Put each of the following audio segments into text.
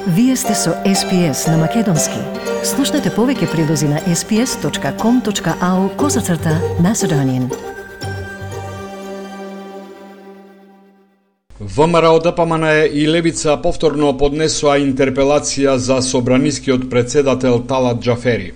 Вие сте со SPS на Македонски. Слушнете повеќе прилози на sps.com.au/Macedonian. ВМРО ДПМН и Левица повторно поднесоа интерпелација за собранискиот председател Талат Џафери.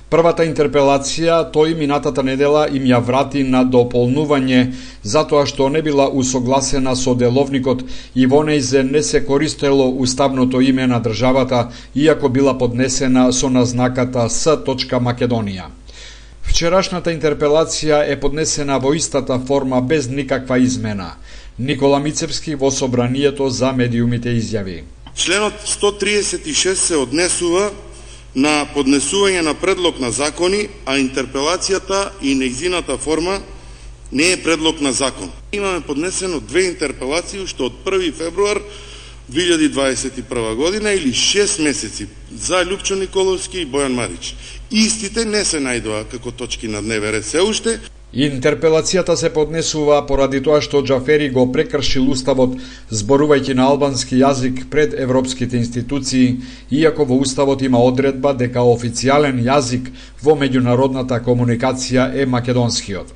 Првата интерпелација тој минатата недела им ја врати на дополнување затоа што не била усогласена со деловникот и во нејзе не се користело уставното име на државата, иако била поднесена со назнаката С. Македонија. Вчерашната интерпелација е поднесена во истата форма без никаква измена. Никола Мицевски во собранието за медиумите изјави: Членот 136 се однесува на поднесување на предлог на закони, а интерпелацијата и нејзината форма не е предлог на закон. Имаме поднесено две интерпелации уште од 1 февруар 2021 година или 6 месеци за Љупчо Николовски и Бојан Марич. Истите не се најдоа како точки на дневен ред се уште. Интерпелацијата се поднесува поради тоа што Џафери го прекршил уставот зборувајќи на албански јазик пред европските институции, иако во уставот има одредба дека официјален јазик во меѓународната комуникација е македонскиот.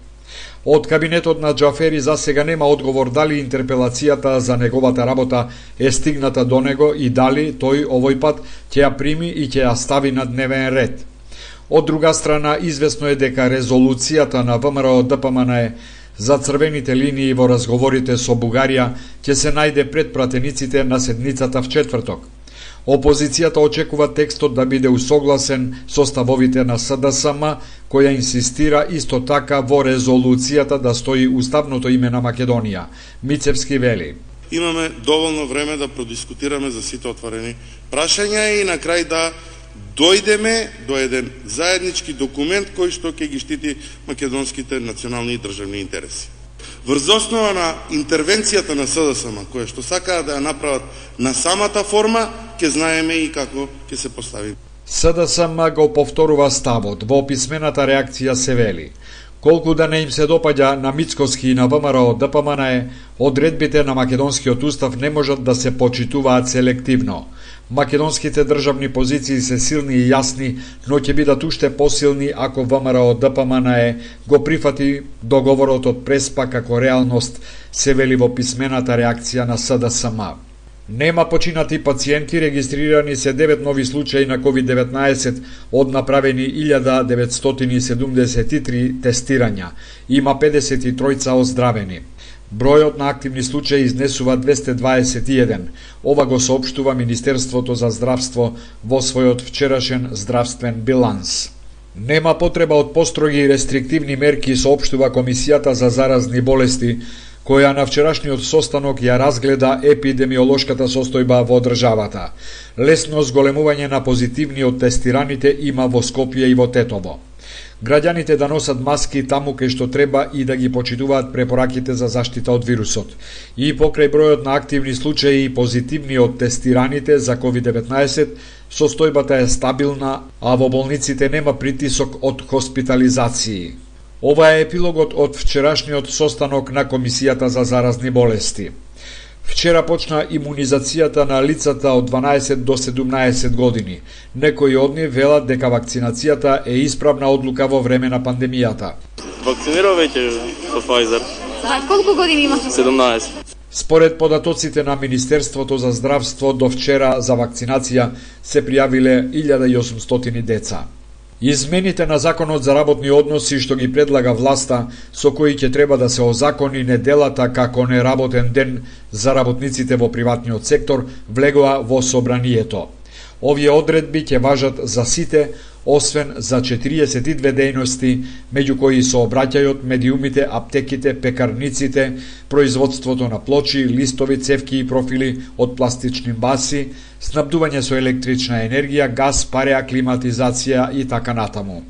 Од кабинетот на Џафери за сега нема одговор дали интерпелацијата за неговата работа е стигната до него и дали тој овој пат ќе ја прими и ќе ја стави на дневен ред. Од друга страна, известно е дека резолуцијата на ВМРО ДПМН за црвените линии во разговорите со Бугарија ќе се најде пред пратениците на седницата в четврток. Опозицијата очекува текстот да биде усогласен со ставовите на СДСМ, која инсистира исто така во резолуцијата да стои уставното име на Македонија. Мицевски вели: Имаме доволно време да продискутираме за сите отворени прашања и на крај да дојдеме до еден заеднички документ кој што ќе ги штити македонските национални и државни интереси. Врз основа на интервенцијата на СДСМ, која што сакаат да ја направат на самата форма, ќе знаеме и како ќе се постави. СДСМ го повторува ставот. Во писмената реакција се вели: колку да не им се допаѓа на Мицковски и на ВМРО ДПМН, одредбите на македонскиот устав не можат да се почитуваат селективно. Македонските државни позиции се силни и јасни, но ќе бидат уште посилни ако ВМРО ДПМН го прифати договорот од Преспа како реалност, се вели во писмената реакција на СДСМ. Нема починати пациенти, регистрирани се 9 нови случаи на COVID-19 од направени 1973 тестирања. Има 53 оздравени. Бројот на активни случаи изнесува 221. Ова го соопштува Министерството за здравство во својот вчерашен здравствен биланс. Нема потреба од построги и рестриктивни мерки, соопштува Комисијата за заразни болести, која на вчерашниот состанок ја разгледа епидемиолошката состојба во државата. Лесно зголемување на позитивни од тестираните има во Скопје и во Тетово. Граѓаните да носат маски таму кај што треба и да ги почитуваат препораките за заштита од вирусот. И покрај бројот на активни случаи и позитивни од тестираните за COVID-19, состојбата е стабилна, а во болниците нема притисок од хоспитализации. Ова е епилогот од вчерашниот состанок на Комисијата за заразни болести. Вчера почна имунизацијата на лицата од 12 до 17 години. Некои од нив велат дека вакцинацијата е исправна одлука во време на пандемијата. Вакцинирав веќе со Pfizer. Колку години има? 17. Според податоците на Министерството за здравство, до вчера за вакцинација се пријавиле 1800 деца. Измените на Законот за работни односи што ги предлага власта, со кои ќе треба да се озакони неделата како неработен ден за работниците во приватниот сектор, влегоа во собранието. Овие одредби ќе важат за сите, освен за 42 дејности, меѓу кои се обраќајот медиумите, аптеките, пекарниците, производството на плочи, листови, цевки и профили од пластични баси, снабдување со електрична енергија, газ, пареа, климатизација и така натаму.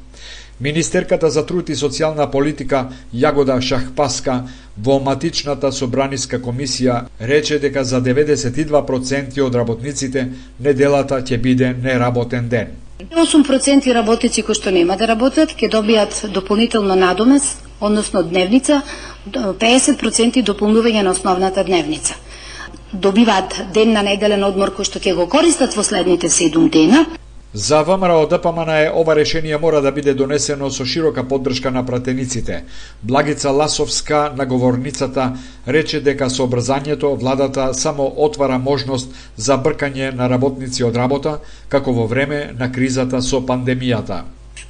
Министерката за труд и социјална политика Јагода Шахпаска во матичната собраниска комисија рече дека за 92% од работниците неделата ќе биде неработен ден. 8% работници кои што нема да работат ќе добијат дополнително надомес, односно дневница, 50% дополнување на основната дневница. добиваат ден на неделен одмор кој што ќе го користат во следните 7 дена. За ВМРО ДПМН ова решение мора да биде донесено со широка поддршка на пратениците. Благица Ласовска, наговорницата, рече дека со брзањето владата само отвара можност за бркање на работници од работа, како во време на кризата со пандемијата.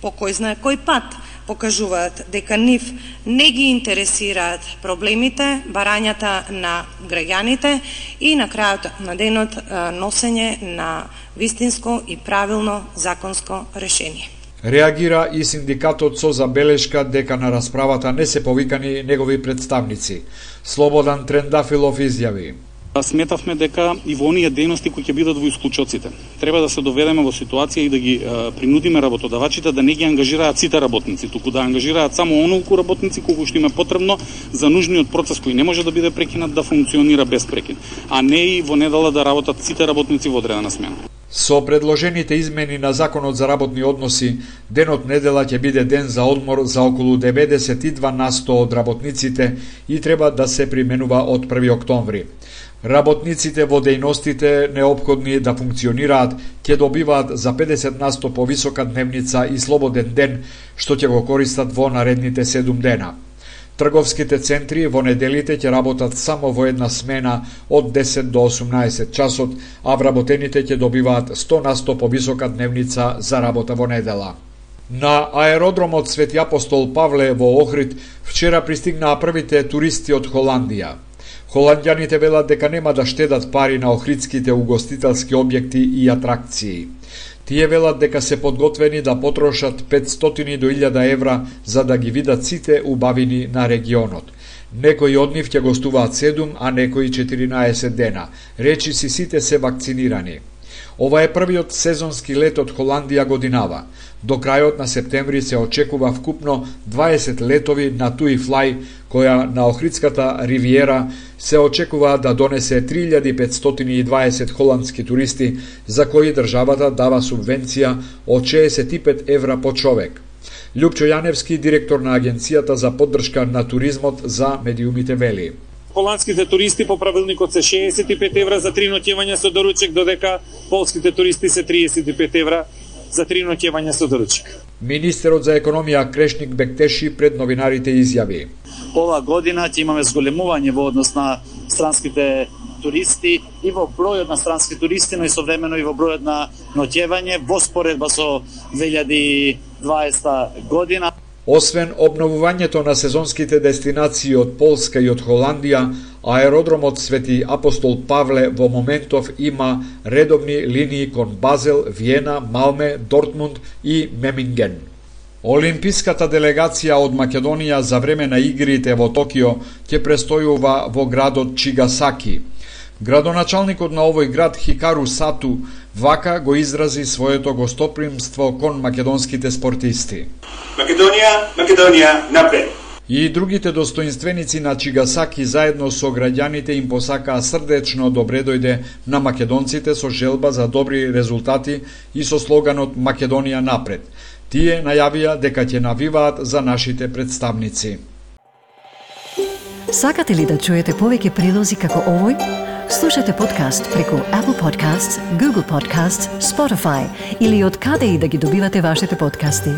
По кој знае кој пат покажуваат дека нив не ги интересираат проблемите, барањата на граѓаните и на крајот на денот носење на вистинско и правилно законско решение. Реагира и синдикатот со забелешка дека на расправата не се повикани негови представници. Слободан Трендафилов изјави: Сметавме дека и во оние дејности кои ќе бидат во исклучоците, треба да се доведеме во ситуација и да ги принудиме работодавачите да не ги ангажираат сите работници, туку да ангажираат само онолку работници колку што им е потребно за нужниот процес кој не може да биде прекинат да функционира без прекин, а не и во недела да работат сите работници во одредена смена. Со предложените измени на Законот за работни односи, денот недела ќе биде ден за одмор за околу 92% од работниците и треба да се применува од 1 октомври. Работниците во дејностите неопходни да функционираат ќе добиваат за 50% повисока дневница и слободен ден, што ќе го користат во наредните 7 дена. Трговските центри во неделите ќе работат само во една смена од 10 до 18 часот, а вработените ќе добиваат 100% повисока дневница за работа во недела. На аеродромот Свети Апостол Павле во Охрид вчера пристигнаа првите туристи од Холандија. Холанѓаните велат дека нема да штедат пари на охридските угостителски објекти и атракции. Тие велат дека се подготвени да потрошат 500 до 1000 евра за да ги видат сите убавини на регионот. Некои од нив ќе гостуваат 7, а некои 14 дена. Речи си сите се вакцинирани. Ова е првиот сезонски лет од Холандија годинава. До крајот на септември се очекува вкупно 20 летови на TUI Fly, која на Охридската ривиера се очекува да донесе 3520 холандски туристи, за кои државата дава субвенција од 65 евра по човек. Љупчо Јаневски, директор на Агенцијата за поддршка на туризмот за медиумите, вели: Холандските туристи по правилникот се 65 евра за 3 ноќевања со доручек, додека полските туристи се 35 евра за 3 ноќевања со доручек. Министерот за економија Крешник Бектеши пред новинарите изјави: Ова година ќе имаме зголемување во однос на странските туристи и во бројот на странски туристи, но и современо и во бројот на ноќевање во споредба со 2020 година. Освен обновувањето на сезонските дестинации од Полска и од Холандија, аеродромот Свети Апостол Павле во моментов има редовни линии кон Базел, Виена, Малме, Дортмунд и Меминген. Олимписката делегација од Македонија за време на игрите во Токио ќе престојува во градот Чигасаки. Градоначалникот на овој град Хикару Сату вака го изрази своето гостопримство кон македонските спортисти. Македонија напред! И другите достоинственици на Чигасаки заедно со граѓаните им посакаа срдечно добре дојде на македонците со желба за добри резултати и со слоганот Македонија напред. Тие најавија дека ќе навиваат за нашите представници. Сакате ли да чуете повеќе прилози како овој? Слушате подкаст преку Apple Podcasts, Google Podcasts, Spotify или од каде и да ги добивате вашите подкасти.